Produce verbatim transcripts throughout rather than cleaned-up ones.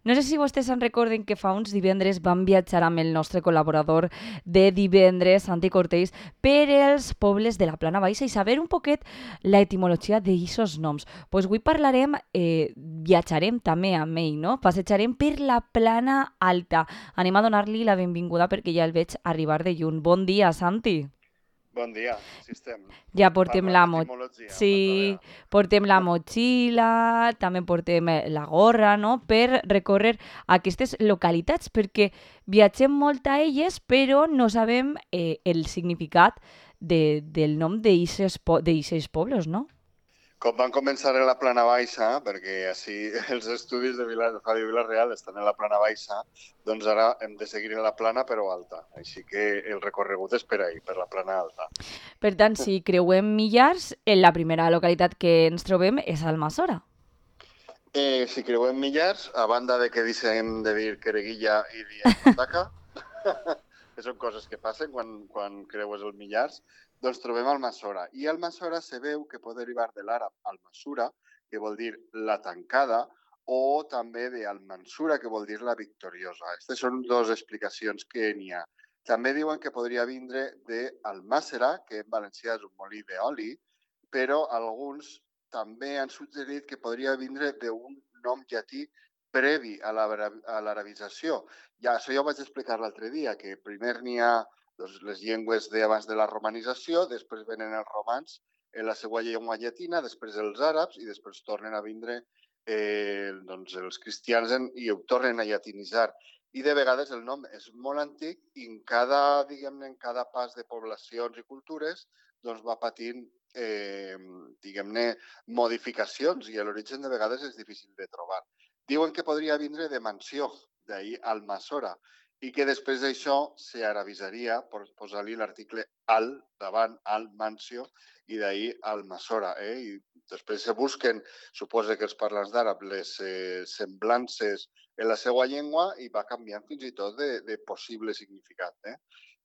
No sé si vostès se'n recorden que fa uns divendres vam viatjar amb el nostre col·laborador de divendres, Santi Cortells, per els pobles de la Plana Baixa i saber un poquet la etimologia d'aixos noms. Doncs pues avui parlarem, eh, viatjarem també amb ell, no? Passejarem per la Plana Alta. Anem a donar-li la benvinguda perquè ja el veig arribar de lluny. Bon dia, Santi. Bon dia, sí estem. Ja portem Parlant la mo... d'etimologia una altra Sí, vegada. portem la motxilla, també portem eh, la gorra, no?, per recórrer aquestes localitats, perquè viatgem molt a elles, però no sabem eh, el significat de, del nom d'eixes po pobles, no? Com van començar en la plana baixa, perquè així els estudis de Vila, Ràdio Vila-real estan en la plana baixa, doncs ara hem de seguir en la plana però alta. Així que el recorregut és per ahí, per la plana alta. Per tant, si creuem Millars, en la primera localitat que ens trobem és Almassora. Eh, si creuem Millars, a banda de que deixem de dir Quereguilla i diem Mataca, que són coses que passen quan, quan creues el Millars, doncs trobem Almassora. I Almassora se veu que pot derivar de l'àrab Almasura, que vol dir la tancada, o també de Almansura, que vol dir la victoriosa. Aquestes són dues explicacions que n'hi ha. També diuen que podria vindre de Almàssera, que en valencià és un molí d'oli, però alguns també han suggerit que podria vindre d'un nom llatí previ a l'arabització. Ja, això ja ho vaig explicar l'altre dia, que primer n'hi ha doncs, les llengües d'abans de la romanització, després venen els romans en la seva llengua llatina, després els àrabs i després tornen a vindre eh, doncs, els cristians en, i ho tornen a llatinitzar. I de vegades el nom és molt antic i en cada, diguem-ne, en cada pas de poblacions i cultures doncs va patint eh, diguem-ne, modificacions i l'origen de vegades és difícil de trobar. Diuen que podria vindre de mansió, d'ahir Almassora, i que després d'això s'arabitzaria per posar-li l'article al davant, al mansió, i d'ahir Almassora. Eh? I després se busquen, suposa que els parlants d'àrab, les eh, semblances en la seva llengua i va canviant fins i tot de, de possible significat. Eh?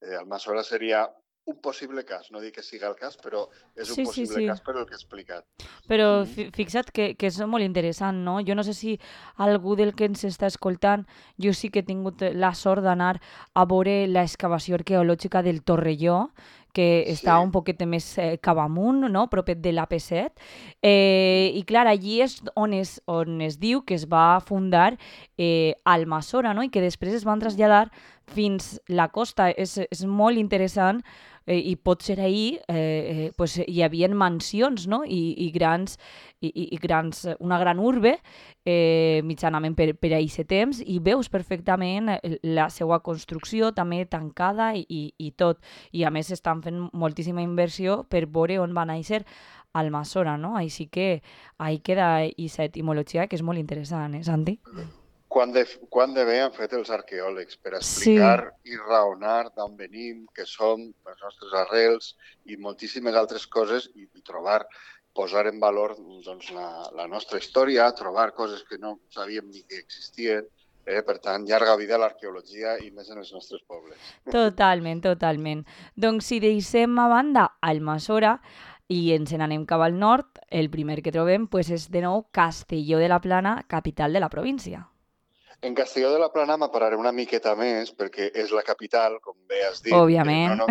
Eh, Almassora seria un possible cas, no dic que siga el cas, però és un Sí, sí, possible sí. cas per el que he explicat. Però Mm. fi- fixa't que, que és molt interessant, no? Jo no sé si algú del que ens està escoltant, jo sí que he tingut la sort d'anar a veure l'excavació arqueològica del Torrelló, que està Sí, un poquet més eh, cap amunt, no?, propet de l'A P set. Eh, I clar, allí és on es, on es diu que es va fundar eh, Almassora, no?, i que després es van traslladar fins la costa. És, és molt interessant eh, i pot ser ahir eh, eh, pues, hi havia mansions, no?, i, i grans, i, i i grans, una gran urbe eh, mitjanament per, per aquest temps, i veus perfectament la seva construcció també tancada i, i, i tot. I a més estan fent moltíssima inversió per veure on va néixer Almassora, no? Així que ahí queda aquesta etimologia que és molt interessant, eh, Santi? quan de, quan de bé han fet els arqueòlegs per Sí, explicar i raonar d'on venim, què som, les nostres arrels i moltíssimes altres coses i, i trobar, posar en valor doncs, la, la nostra història, trobar coses que no sabíem ni que existien. Eh? Per tant, llarga vida a l'arqueologia i més en els nostres pobles. totalment, totalment. Doncs si deixem a banda Almassora i ens n'anem cap al nord, el primer que trobem pues, és de nou Castelló de la Plana, capital de la província. En Castelló de la Plana m'apararé una miqueta més perquè és la capital, com bé has dit, eh, no, Òbviament. no,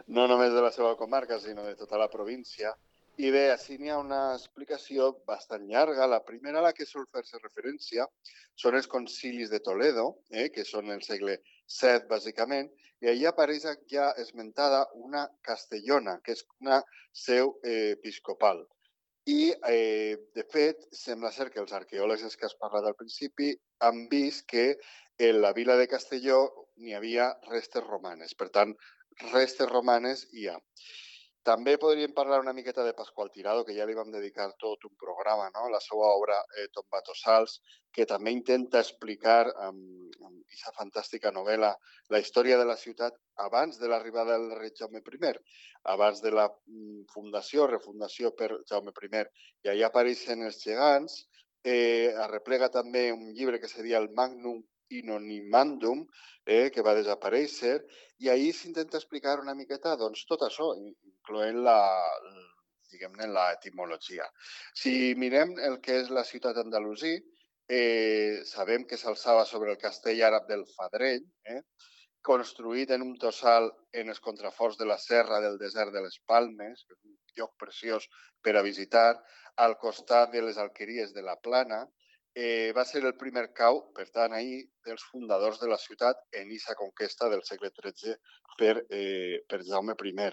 no només de la seva comarca, sinó de tota la província. I bé, així n'hi ha una explicació bastant llarga. La primera a la que sol fer-se referència són els concilis de Toledo, eh, que són el segle set, bàsicament, i allà apareix ja esmentada una castellona, que és una seu eh, episcopal. I, eh, de fet, sembla ser que els arqueòlegs que has parlat al principi han vist que en la vila de Castelló n'hi havia restes romanes. Per tant, restes romanes hi ha. També podríem parlar una miqueta de Pasqual Tirado, que ja li vam dedicar tot un programa, no? La seva obra eh, Tombatossals, que també intenta explicar amb, amb aquesta fantàstica novel·la la història de la ciutat abans de l'arribada del rei Jaume I, abans de la mm, fundació, refundació per Jaume I. I allà apareixen els gegants, eh, arreplega també un llibre que seria el Magnum Inonimandum, eh, que va desaparèixer, i ahir s'intenta explicar una miqueta doncs, tot això, incloent la, diguem-ne, la etimologia. Si mirem el que és la ciutat andalusí, eh, sabem que s'alçava sobre el castell àrab del Fadrell, eh? construït en un tossal en els contraforts de la serra del desert de les Palmes, que és un lloc preciós per a visitar, al costat de les alqueries de la Plana. Eh, va ser el primer cau, per tant, ahir, dels fundadors de la ciutat en aquesta conquesta del segle tretze per, eh, per Jaume I.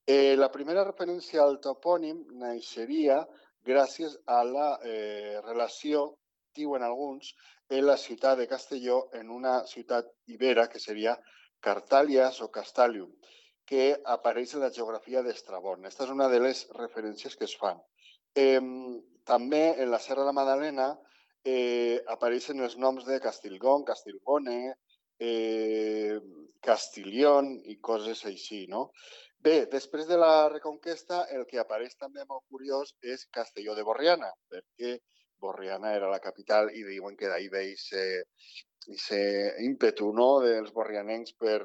Eh, la primera referència al topònim naixeria gràcies a la eh, relació, diuen alguns, en la ciutat de Castelló en una ciutat ibera que seria Cartalias o Castalium, que apareix en la geografia d'Estrabón. Aquesta és una de les referències que es fan. Eh, també en la Serra de la Madalena eh, apareixen els noms de Castilgón, Castilgone, eh, Castilión i coses així, no? Bé, després de la Reconquesta, el que apareix també molt curiós és Castelló de Borriana, perquè Borriana era la capital i diuen que d'ahir ve aquest ímpetu, no?, dels borrianencs per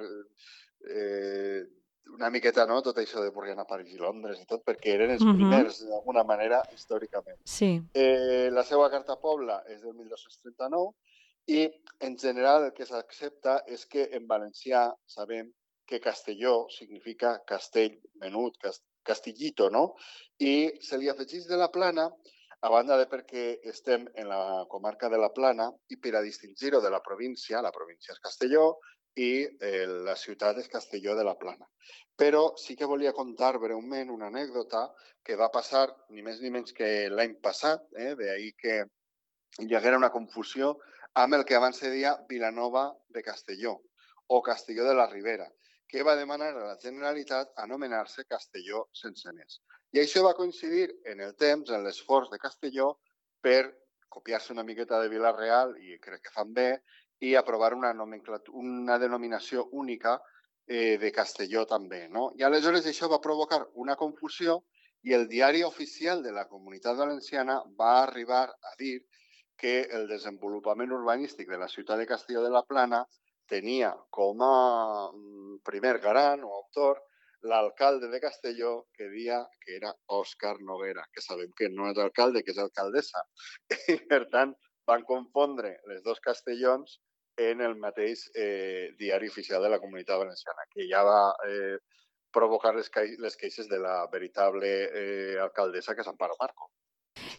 eh, una miqueta, no?, tot això de Borriana, París i Londres i tot, perquè eren els primers, uh-huh. d'alguna manera, històricament. Sí. Eh, la seva carta pobla és del mil dos-cents trenta-nou i, en general, el que s'accepta és que en valencià sabem que Castelló significa castell menut, castillito, no? I se li afegeix de la Plana, a banda de perquè estem en la comarca de la Plana i per a distingir-ho de la província, la província és Castelló i eh, la ciutat és Castelló de la Plana. Però sí que volia contar breument una anècdota que va passar ni més ni menys que l'any passat, eh, d'ahir que hi haguera una confusió amb el que abans se deia Vilanova de Castelló o Castelló de la Ribera, que va demanar a la Generalitat anomenar-se Castelló Senceners. I això va coincidir en el temps, en l'esforç de Castelló, per copiar-se una miqueta de Vila-real, i crec que fan bé, i aprovar una, una denominació única eh, de Castelló també, no? I aleshores això va provocar una confusió i el diari oficial de la Comunitat Valenciana va arribar a dir que el desenvolupament urbanístic de la ciutat de Castelló de la Plana tenia com a primer garant o autor l'alcalde de Castelló, que deia que era Òscar Noguera, que sabem que no és alcalde, que és alcaldessa. I, per tant, van confondre les dos Castellons en el mateix eh, diari oficial de la Comunitat Valenciana, que ja va eh, provocar les, les queixes de la veritable eh, alcaldessa, que és Amparo Marco.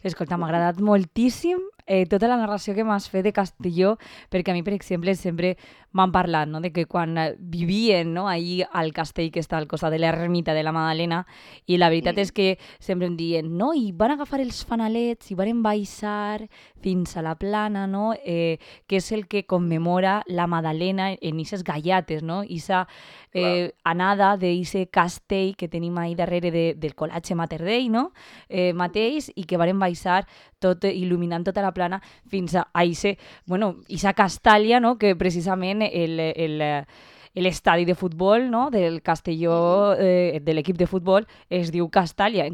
Escolta, m'ha agradat moltíssim eh, tota la narració que m'has fet de Castelló, perquè a mi, per exemple, sempre m'han parlat, no?, de que quan vivien, no?, ahir al castell que està al costat de l'ermita de la Madalena, i la veritat mm. és que sempre em diuen, no, i van agafar els fanalets i van baixar fins a la Plana, no?, eh, que és el que commemora la Madalena en aquestes gallates, no?, aquesta eh, anada d'eixe castell que tenim ahir darrere de, del Col·latge Mater Dei, no?, eh, mateix, i que van baixar tot, il·luminant tota la Plana fins a eixe, bueno, eixa Castàlia, no?, que precisament el, el, l'estadi de futbol, no?, del Castelló, eh, de l'equip de futbol, es diu Castàlia.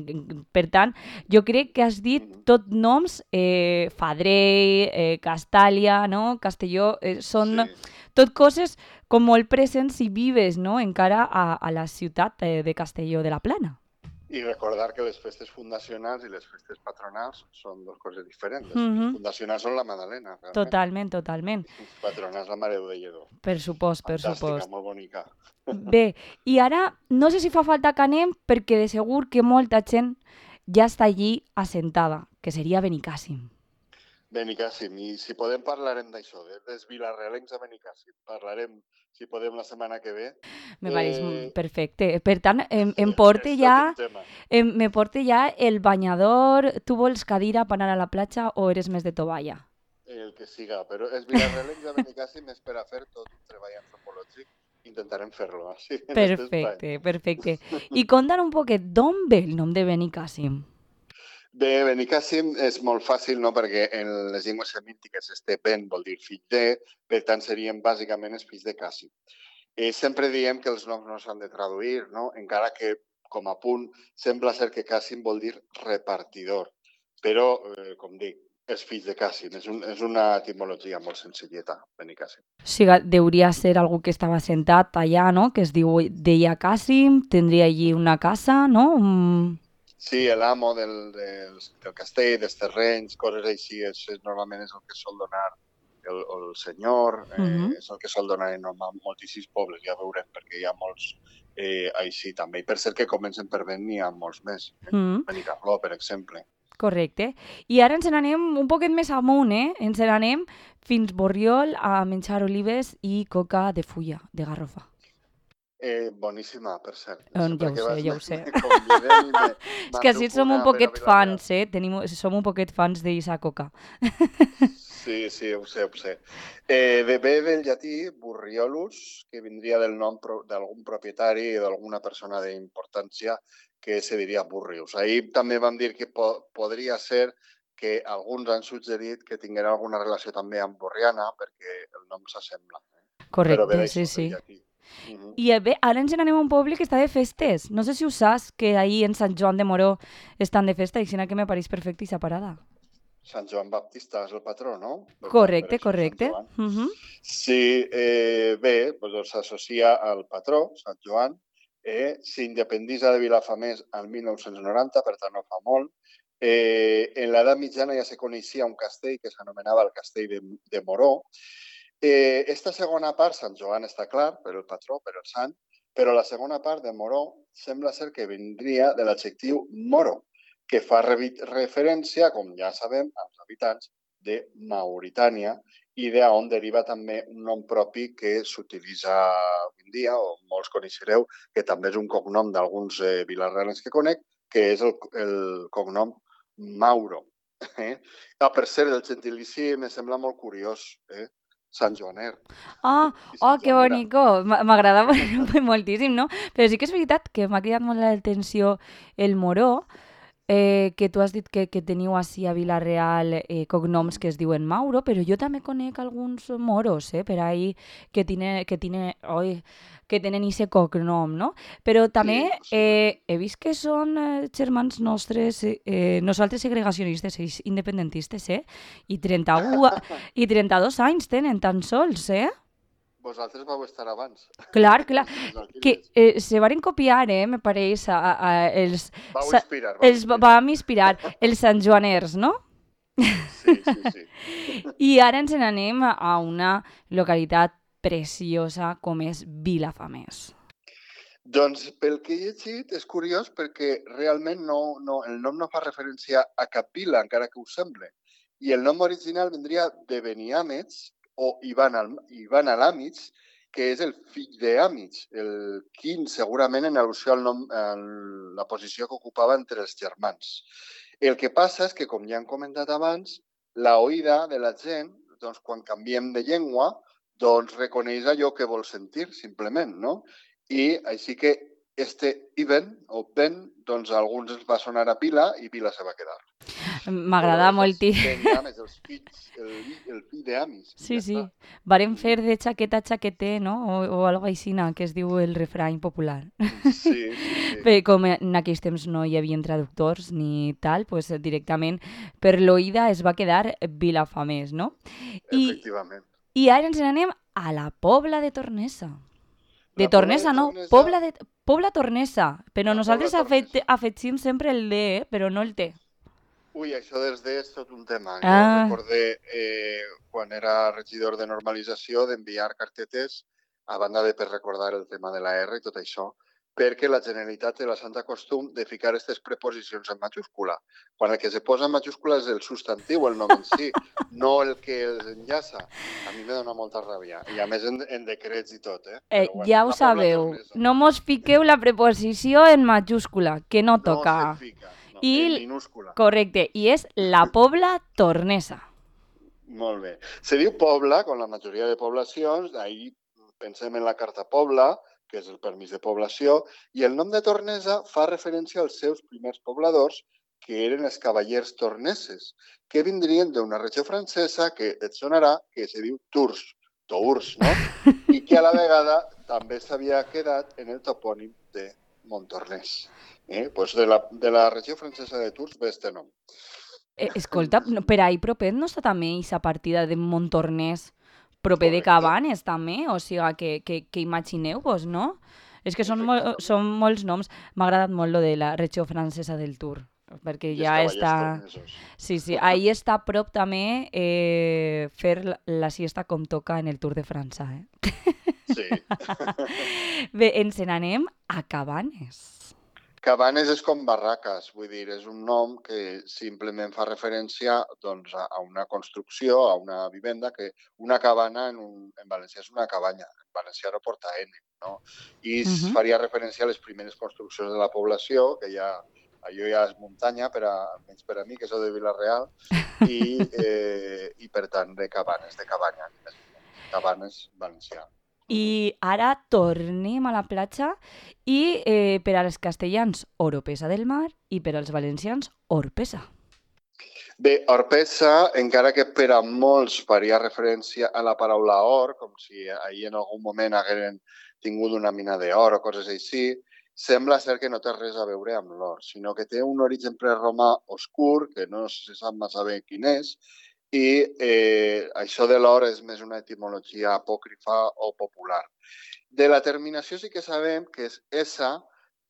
Per tant, jo crec que has dit tot noms, eh, Fadrell, eh, Castàlia, no?, Castelló, eh, són sí. tot coses com molt presents i vives, no?, encara a, a la ciutat eh, de Castelló de la Plana. I recordar que les festes fundacionals i les festes patronals són dues coses diferents. Les Mhm. fundacionals són la Madalena, realment. Totalment, totalment. Les patronals la Mare de Lledó. Per supost, per Fantàstica, supost. molt bonica. Bé, i ara no sé si fa falta que anem, perquè de segur que molta gent ja està allí assentada, que seria Benicàssim. Benicàssim, i si podem parlarem d'això, de, dels vilarrealencs a Benicàssim. Parlarem, si podem, la setmana que ve. Me pareix Eh, perfecte. Per tant, em, em és porte tot ja, un tema. em, me porte ja el banyador. Tu vols cadira per anar a la platja o eres més de tovalla? El que siga, però els vilarrealencs a Benicàssim és per a fer tot un treball antropològic. Intentarem fer-lo, així, en aquest espai. Perfecte, perfecte. I conta'n un poquet, d'on ve el nom de Benicàssim? Bé, Benicàssim és molt fàcil, no?, perquè en les llengües semítiques este ben vol dir fill de, per tant serien bàsicament els fills de Càssim. Eh, sempre diem que els noms no s'han de traduir, no?, encara que, com a punt, sembla ser que Càssim vol dir repartidor, però, eh, com dic, els fills de Càssim, és, un, és una etimologia molt senzilleta, Benicàssim. O sigui, deuria ser algú que estava sentat allà, no?, que es diu, deia Càssim, tindria allí una casa, no? Un... Sí, l'amo del, del, del castell, dels terrenys, coses així, és, és, normalment és el que sol donar el, el senyor, eh, uh -huh. és el que sol donar en moltíssims pobles, ja veurem, perquè hi ha molts eh, així també. I per cert que comencen per venir, n'hi ha molts més. Eh? Uh -huh. Benicarló, per exemple. Correcte. I ara ens n'anem un poquet més amunt, eh? Ens n'anem fins Borriol a menjar olives i coca de fulla, de garrofa. Eh, boníssima, per cert. Um, ja ho sé, ja ho sé. Me, és que així som un poquet fans, eh? Tenim, som un poquet fans d'Isa coca. Sí, sí, ho sé, ho sé. Eh, ve, ve del llatí burriolus, que vindria del nom pro, d'algun propietari o d'alguna persona d'importància que se diria burrius. Ahir també vam dir que po podria ser que alguns han suggerit que tinguera alguna relació també amb Borriana, perquè el nom s'assembla. Eh? Correcte, sí, sí. Uh -huh. I bé, ara ens n'anem a un poble que està de festes. No sé si ho saps, que ahir en Sant Joan de Moró estan de festa, i que me pareix perfecte i separada. Sant Joan Baptista és el patró, no? Correcte, correcte. Uh -huh. Sí, eh, bé, doncs s'associa al patró, Sant Joan, eh, s'independitza de Vilafamés el mil nou-cents noranta, per tant no fa molt. Eh, en l'edat mitjana ja se coneixia un castell que s'anomenava el castell de, de Moró. Eh, esta segona part, Sant Joan està clar, per el patró, per el sant, però la segona part de Moró sembla ser que vindria de l'adjectiu moro, que fa referència, com ja sabem, als habitants de Mauritània i d'on deriva també un nom propi que s'utilitza avui en dia, o molts coneixereu, que també és un cognom d'alguns eh, vilarrealens que conec, que és el, el cognom Mauro. Eh? Ah, per cert, el gentilici me sembla molt curiós, eh? Sant Joaner. Ah, oh, que bonico. M'agrada moltíssim, no? Però sí que és veritat que m'ha cridat molt l'atenció el Moró, eh, que tu has dit que, que teniu així a Vila-real eh, cognoms que es diuen Mauro, però jo també conec alguns moros, eh, per ahí que, tiene, que, tiene, oi, que tenen aquest cognom, no? Però també sí, eh, he vist que són eh, germans nostres, eh, nosaltres segregacionistes, ells independentistes, eh? I trenta-u i trenta-dos anys tenen tan sols, eh? Vosaltres vau estar abans. Clar, clar. Que eh, se van copiar, eh, me pareix, a, a, els... Vau inspirar. Vau els inspirar. Vam inspirar, els santjoaners, no? Sí, sí, sí. I ara ens n'anem a una localitat preciosa com és Vilafamés. Doncs pel que he llegit és curiós perquè realment no, no, el nom no fa referència a cap vila, encara que ho sembla. I el nom original vindria de Beniàmets, o Ivan, al, Ivan Alàmits, que és el fill d'Àmits, el quin segurament en al·lusió al nom, a la posició que ocupava entre els germans. El que passa és que, com ja hem comentat abans, la oïda de la gent, doncs, quan canviem de llengua, doncs reconeix allò que vol sentir, simplement, no? I així que este Ivan, o Ben, doncs a alguns els va sonar a Vila i Vila se va quedar. M'agrada moltíssim. Beniàmets, els fills, el, el fill d'Amis. Sí, ja sí. Varen fer de xaqueta a xaqueter, no? O, o algo així, que es diu el refrany popular. Sí, sí, sí. Però com en aquells temps no hi havia traductors ni tal, pues directament per l'oïda es va quedar Vilafamés, no? Efectivament. I, i ara ens n'anem a la Pobla de Tornesa. De Tornesa, no, Pobla de Pobla Tornesa, però la nosaltres afegim sempre el D, eh? Però no el T. Ui, això dels D és tot un tema. Ah. Jo recordé, eh, quan era regidor de normalització, d'enviar cartetes a banda de per recordar el tema de la R i tot això, perquè la Generalitat té la santa costum de ficar aquestes preposicions en majúscula. Quan el que se posa en majúscula és el substantiu, el nom en si, no el que els enllaça. A mi me dona molta ràbia. I a més en, en decrets i tot, eh? eh bueno, ja ho sabeu. No mos fiqueu la preposició en majúscula, que no toca. No se fica, no, I, en minúscula. Correcte, i és la Pobla Tornesa. Molt bé. Se diu Pobla, com la majoria de poblacions, ahir pensem en la Carta Pobla, que és el permís de població, i el nom de Tornesa fa referència als seus primers pobladors, que eren els cavallers torneses, que vindrien d'una regió francesa que et sonarà, que se diu Tours, Tours, no? I que a la vegada també s'havia quedat en el topònim de Montornès. Eh? Pues de, la, de la regió francesa de Tours ve este nom. Eh, escolta, per ahí propet no està també aquesta partida de Montornès proper de Cabanes, també, o sigui, que, que, que imagineu-vos, no? És que són, mol, són molts noms. M'ha agradat molt lo de la regió francesa del Tour, perquè I els ja cavallers està... tornesos. Sí, sí, ahí està a prop també eh, fer la, la siesta com toca en el Tour de França, eh? Sí. Bé, ens n'anem a Cabanes. Cabanes és com barraques, vull dir, és un nom que simplement fa referència doncs, a, a una construcció, a una vivenda, que una cabana en, un, en valencià és una cabanya, en valencià no porta N, no? I Uh -huh. faria referència a les primeres construccions de la població, que ja, allò ja és muntanya, per a, menys per a mi, que soc de Vila-real, i, eh, i per tant de cabanes, de cabanya, cabanes valencià. I ara tornem a la platja i eh, per als castellans Oropesa del Mar i per als valencians Orpesa. Bé, Orpesa, encara que per a molts faria referència a la paraula or, com si ahir en algun moment hagueren tingut una mina d'or o coses així, sembla ser que no té res a veure amb l'or, sinó que té un origen preromà oscur, que no se sap massa bé quin és, i eh, això de l'or és més una etimologia apòcrifa o popular. De la terminació sí que sabem que és essa,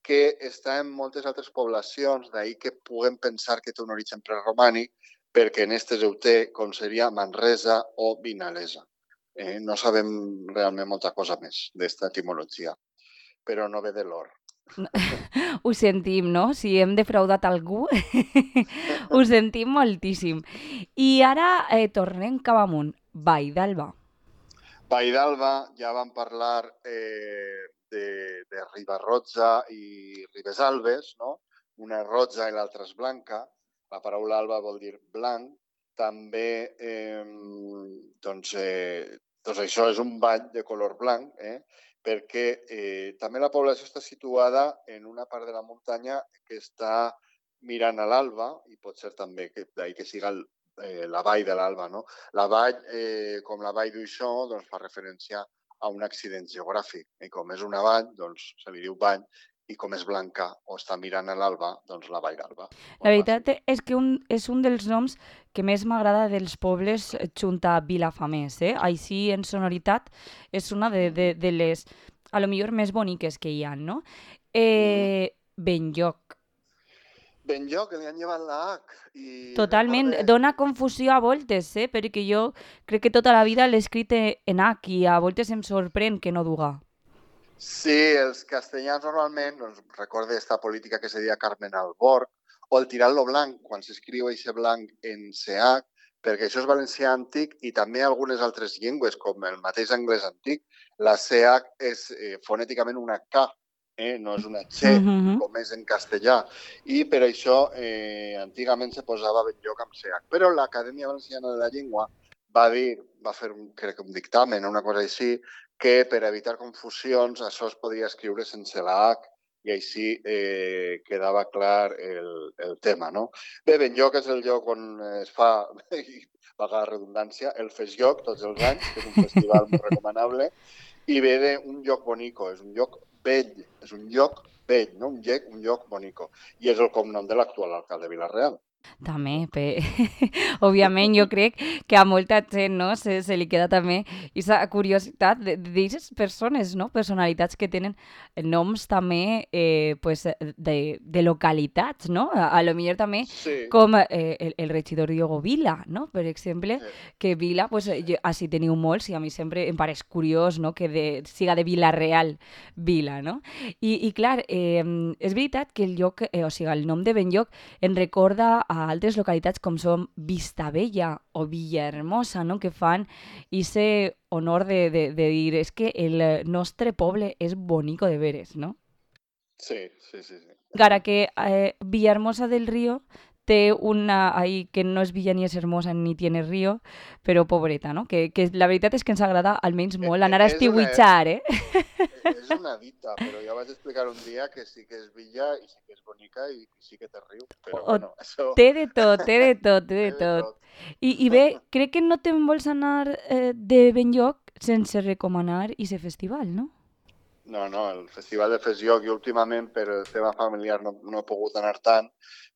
que està en moltes altres poblacions, d'ahir que puguem pensar que té un origen preromànic, perquè en aquestes ho té, com seria Manresa o Vinalesa. Eh, no sabem realment molta cosa més d'esta etimologia, però no ve de l'or. Ho sentim, no? Si hem defraudat algú, ho sentim moltíssim. I ara eh, tornem cap amunt. Vall d'Alba. Vall d'Alba, ja vam parlar eh, de, de Ribarrotza i Ribesalbes, no? Una és roja i l'altra és blanca. La paraula alba vol dir blanc. També, eh, doncs, eh, doncs això és un ball de color blanc, eh? perquè eh, també la població està situada en una part de la muntanya que està mirant a l'alba, i pot ser també que d'ahir que siga el, eh, la vall de l'alba, no? La vall, eh, com la vall d'Uixó, doncs fa referència a un accident geogràfic. I com és una vall, doncs se li diu vall, i com és blanca o està mirant a l'alba, doncs la vall d'Alba. La veritat és que un, és un dels noms que més m'agrada dels pobles junt a Vilafamés. Eh? Així, en sonoritat, és una de, de, de les, a lo millor, més boniques que hi ha, no? Eh, Benlloc. Benlloc, que li han llevat la H. I Totalment, recorde... dona confusió a voltes, eh? perquè jo crec que tota la vida l'he escrit en H i a voltes em sorprèn que no duga. Sí, els castellans normalment, doncs, recorde aquesta política que se deia Carmen Alborg, o el tirar-lo blanc, quan s'escriu aquest blanc en C H, perquè això és valencià antic i també algunes altres llengües, com el mateix anglès antic, la C H és eh, fonèticament una K, eh? no és una X, Mm-hmm. com és en castellà. I per això eh, antigament se posava Benlloc amb C H. Però l'Acadèmia Valenciana de la Llengua va dir, va fer, un, crec que un dictamen o una cosa així, que per evitar confusions això es podia escriure sense la H i així eh, quedava clar el, el tema, no? Bé, Benlloc és el lloc on es fa, i vaga la redundància, el Festlloc tots els anys, que és un festival molt recomanable, i ve d'un lloc bonico, és un lloc vell, és un lloc vell, no? un, lloc, un lloc bonico, i és el cognom de l'actual alcalde de Vila-real. També, pe... òbviament jo crec que a molta gent no, se, se li queda també aquesta curiositat d'aquestes persones, no? Personalitats que tenen noms també eh, pues, de, de localitats, no? A, a lo millor també sí. com eh, el, el regidor Diogo Vila, no? Per exemple, sí. que Vila, pues, jo, així teniu molts i a mi sempre em pareix curiós no? que de, siga de Vila-real Vila, no? I, i clar, eh, és veritat que el lloc, eh, o sigui, el nom de Benlloc en recorda a altres localitats com són Vistabella o Villahermosa, no? que fan ese honor de, de, de dir és que el nostre poble és bonico de veres, no? Sí, sí, sí. sí. Encara que eh, Villahermosa del Río té una ahí que no és villa ni és hermosa ni tiene río, però pobreta, no? Que, que la veritat és que ens agrada almenys molt anar a estiuitxar, eh? És una dita, però ja vaig explicar un dia que sí que és villa i sí que és bonica i sí que té riu, però o, bueno, això... Té de tot, té de tot, té de tot. I, I bé, crec que no te'n vols anar eh, de Benlloc sense recomanar aquest festival, no? No, no, el festival de Festlloc, jo últimament per el tema familiar no, no he pogut anar tant,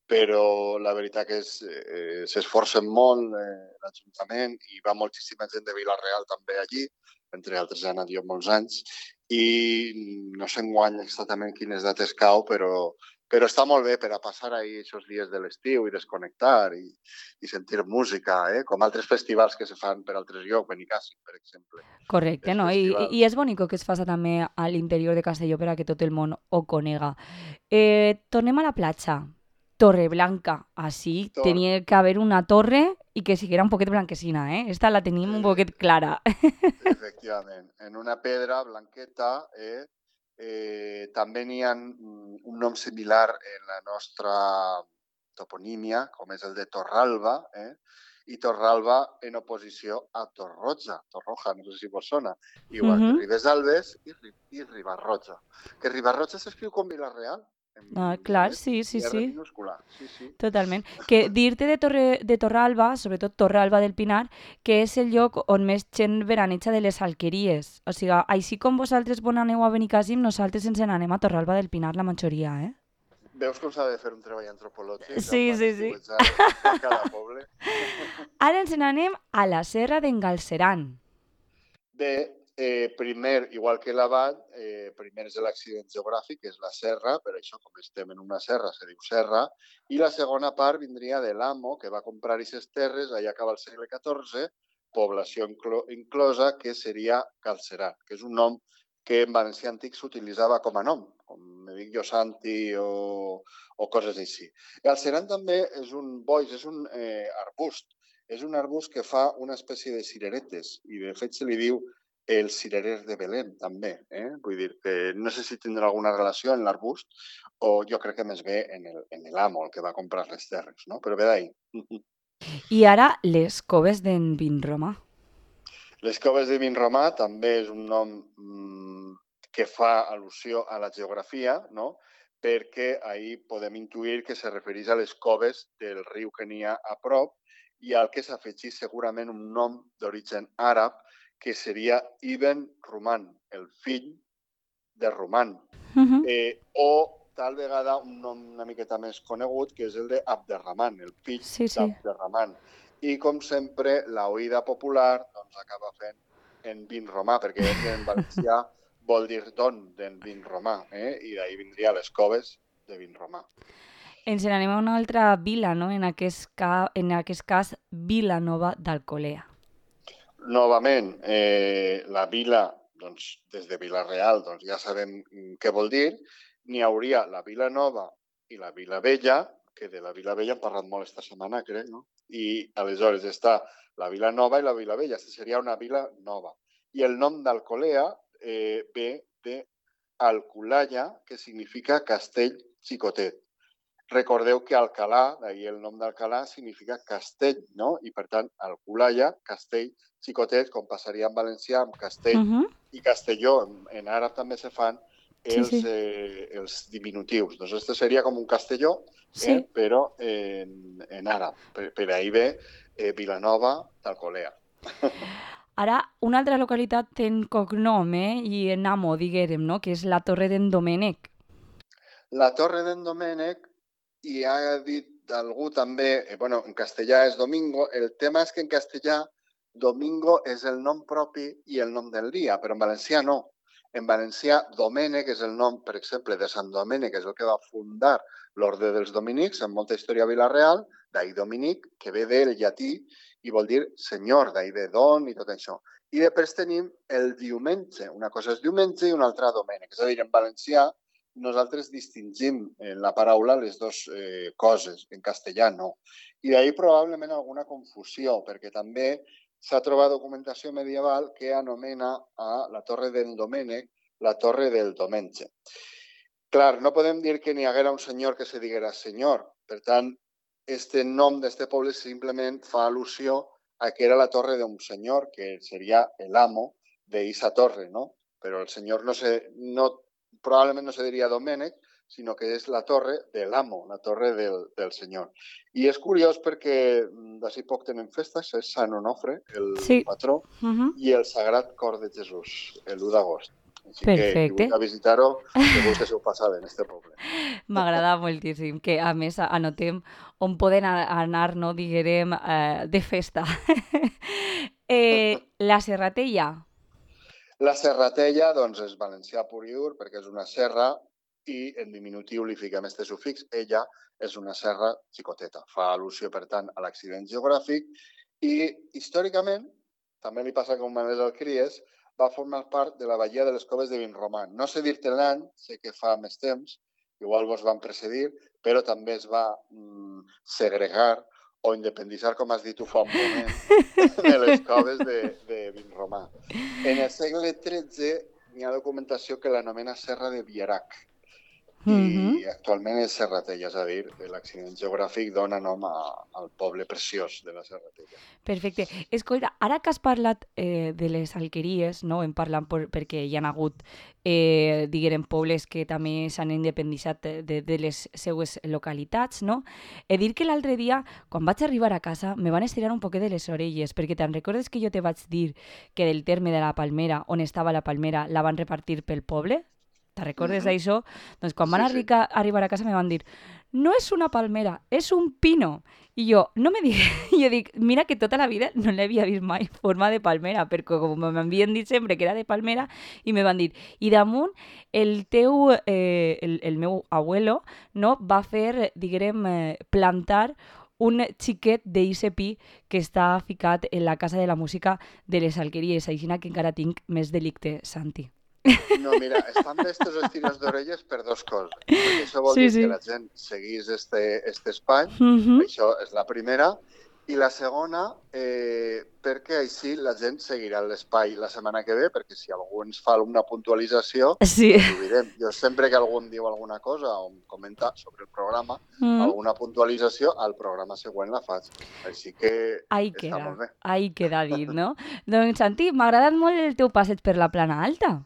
però la veritat que eh, s'esforcen molt eh, l'Ajuntament i va moltíssima gent de Vila-real també allí entre altres he anat jo molts anys, i no sé enguany exactament quines dates cau, però, però està molt bé per a passar ahí aquests dies de l'estiu i desconnectar i, i sentir música, eh? Com altres festivals que se fan per altres llocs, Benicàssim, per exemple. Correcte, Els no? I, i festivals. i és bonic que es faça també a l'interior de Castelló per a que tot el món ho conega. Eh, tornem a la platja. Torreblanca. Així Tor, tenia que haver una torre i que siguera un poquet blanquecina, eh? Esta la tenim un eh, poquet clara. efectivament, en una pedra blanqueta, eh, eh, també n'hi ha mm, un nom similar en la nostra toponímia, com és el de Torralba, eh? I Torralba en oposició a Torroja, Torroja, no sé si vos sona, igual que Mhm. Ribesalbes i, Ri- i Ribarroja. Que Ribarroja s'escriu com Vila-real, en Ah, clar, net, sí, sí, i R sí. minúscula. Sí, sí. Totalment. Que dir-te de, Torre, de Torralba, sobretot Torralba del Pinar, que és el lloc on més gent veraneja de les alqueries. O sigui, així com vosaltres bon aneu a Benicàssim, nosaltres ens n'anem a Torralba del Pinar, la majoria, eh? Veus com s'ha de fer un treball antropològic Sí, amb sí, van sí. estiuetjar en cada poble? Ara ens n'anem a la Serra d'en Galceran. Bé, eh, primer, igual que l'abat, eh, primer és l'accident geogràfic, que és la serra, per això, com estem en una serra, se diu serra, i la segona part vindria de l'amo, que va comprar aquestes terres allà acaba el segle catorze, població inclo inclosa, que seria Galceran, que és un nom que en valencià antic s'utilitzava com a nom, com me dic jo Santi o, o coses així. Galceran també és un boix, és un eh, arbust, és un arbust que fa una espècie de cireretes i de fet se li diu el cirerer de Belén també, eh? Vull dir que no sé si tindrà alguna relació en l'arbust o jo crec que més bé en el, en l'amo, el que va comprar les terres, no? Però ve d'ahí. I ara les coves d'en Vinromà. Les coves de Vinromà també és un nom mmm, que fa al·lusió a la geografia, no? Perquè ahí podem intuir que se refereix a les coves del riu que n'hi ha a prop i al que s'afegís segurament un nom d'origen àrab que seria Ibn Ruman, el fill de Ruman. Uh -huh. Eh, o tal vegada un nom una miqueta més conegut, que és el de Abderrahman, el fill Sí, sí. d'Abderrahman. I, com sempre, la oïda popular doncs, acaba fent en Vinromà, perquè en valencià vol dir don d'en Vinromà, eh? I d'ahir vindria les coves de Vinromà. Ens n'anem a una altra vila, no? En aquest, ca... en aquest cas, Vilanova d'Alcolea. Novament, eh, la vila, doncs, des de Vila-real, doncs ja sabem què vol dir. N'hi hauria la Vila Nova i la Vila Vella, que de la Vila Vella hem parlat molt esta setmana, crec, no? I aleshores està la Vila Nova i la Vila Vella. Aquesta seria una vila nova. I el nom d'Alcolea eh, ve de Alculaya, que significa castell xicotet. Recordeu que Alcalà, d'ahir el nom d'Alcalà, significa castell, no? I, per tant, Alculaya, castell xicotet, com passaria en valencià, amb castell Uh -huh. i castelló. En, en àrab també se fan Sí, els, sí. eh, els diminutius. Doncs este seria com un castelló, Sí. eh, però en, en àrab. Per, per ahir ve eh, Vilanova d'Alcolea. Ara, una altra localitat en cognom, eh? I en amo, diguérem, no? Que és la Torre d'en Domènec. La Torre d'en Domènec, i ha dit algú també, eh, bueno, en castellà és Domingo, el tema és que en castellà Domingo és el nom propi i el nom del dia, però en valencià no. En valencià, Domènec és el nom, per exemple, de Sant Domènec, que és el que va fundar l'Orde dels Dominics, en molta història a Vila-real, d'ahir Dominic, que ve del llatí i vol dir senyor, d'ahir ve don i tot això. I després tenim el diumenge. Una cosa és diumenge i una altra Domènec. És a dir, en valencià nosaltres distingim en la paraula les dues eh, coses, en castellà no. I d'ahir probablement alguna confusió, perquè també s'ha trobat documentació medieval que anomena a la Torre del Domènec la Torre del Domenge. Clar, no podem dir que n'hi haguera un senyor que se diguera senyor. Per tant, este nom d'este poble simplement fa al·lusió a que era la torre d'un senyor, que seria l'amo d'eixa torre, no? Però el senyor no se, no, probablement no se diria Domènec, sinó que és la torre de l'amo, la torre del, del senyor. I és curiós perquè d'ací poc tenen festes, és Sant Onofre, el Sí. patró, Uh -huh. i el Sagrat Cor de Jesús, l'u d'agost. Així Perfecte. que, qui vulgui visitar-ho, segur que s'ho passa bé en este poble. M'agrada moltíssim, que a més anotem on poden anar, no, diguérem, eh, de festa. eh, la Serratella. La serratella, doncs, és valencià pur i dur, perquè és una serra i en diminutiu li fiquem este sufix. Ella és una serra xicoteta. Fa al·lusió, per tant, a l'accident geogràfic i, històricament, també li passa com a les Alqueries, va formar part de la Badia de les Coves de Vinromà. No sé dir-te l'any, sé que fa més temps, igual vos van precedir, però també es va mm, segregar o independitzar, com has dit tu fa un moment, de les coves de, de Vinromà. En el segle tretze n'hi ha documentació que l'anomena Serra de Vierac, i Mhm. actualment és Serratella, és a dir, l'accident geogràfic dona nom a, al poble preciós de la Serratella. Perfecte. Escolta, ara que has parlat eh, de les alqueries, no? Hem parlat per, perquè hi ha hagut, eh, diguem, pobles que també s'han independitzat de, de les seues localitats, no? He dit que l'altre dia, quan vaig arribar a casa, me van estirar un poquet de les orelles, perquè te'n recordes que jo te vaig dir que del terme de la Palmera, on estava la Palmera, la van repartir pel poble? Te recordes Mhm. d'això? Doncs quan van Sí, sí. arrica, arribar a casa me van dir no és una palmera, és un pino. I jo, no me digues, jo dic, mira que tota la vida no l'havia vist mai forma de palmera, perquè com m'havien dit sempre que era de palmera, i me van dir, i damunt el teu, eh, el, el meu abuelo, no, va fer, diguem, eh, plantar un xiquet d'eixe pi que està ficat en la Casa de la Música de les Alqueries, així que encara tinc més delicte, Santi. No, mira, estan bé estos estiros d'orelles per dos coses. Perquè això vol Sí, dir sí. que la gent seguís este, este espai, Mhm. això és la primera, i la segona, eh, perquè així la gent seguirà l'espai la setmana que ve, perquè si algú ens fa una puntualització, Sí. doncs ho direm. Jo sempre que algú em diu alguna cosa o em comenta sobre el programa, Mm. alguna puntualització, al programa següent la faig. Així que Ahí està queda, molt bé. ahí queda dit, no? Doncs, Santi, m'ha agradat molt el teu passeig per la Plana Alta.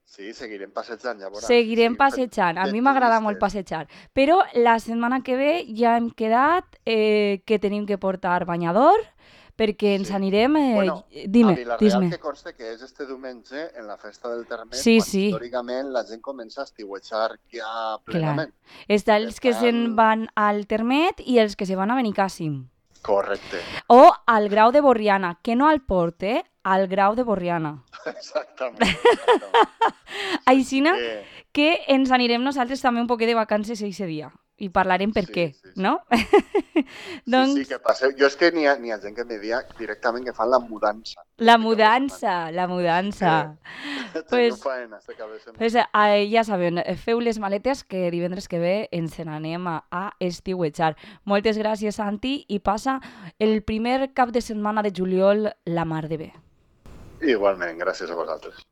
Sí, seguirem passejant, ja veuràs. Seguirem Seguim fent passejant. A de mi m'agrada molt turistes. passejar. Però la setmana que ve ja hem quedat eh, que tenim que portar banyador perquè ens Sí. anirem... Eh, Bueno, a dime, Vila-real dis-me. que conste que és este diumenge en la festa del Termet, Sí, quan sí, històricament la gent comença a estiuejar ja clar. plenament. Està Per els que se'n tant, van al Termet i els que se van a Benicàssim. correcte. O al Grau de Borriana, que no al Port, eh? Al Grau de Borriana. Exactament. exactament. Aixina Que... que ens anirem nosaltres també un poquet de vacances eixe dia i parlarem per Sí, què, sí, sí. no? Sí, doncs sí, que passeu. Jo és que n'hi ha, n'hi ha gent que me dia directament que fan la mudança. la este cap de setmana. mudança, la mudança. Que teniu Pues, faena este cap de setmana. pues eh, ja saben, eh, feu les maletes que divendres que ve ens n'anem a, a estiuejar. Moltes gràcies, Santi, i passa el primer cap de setmana de juliol la mar de bé. Igualment, gràcies a vosaltres.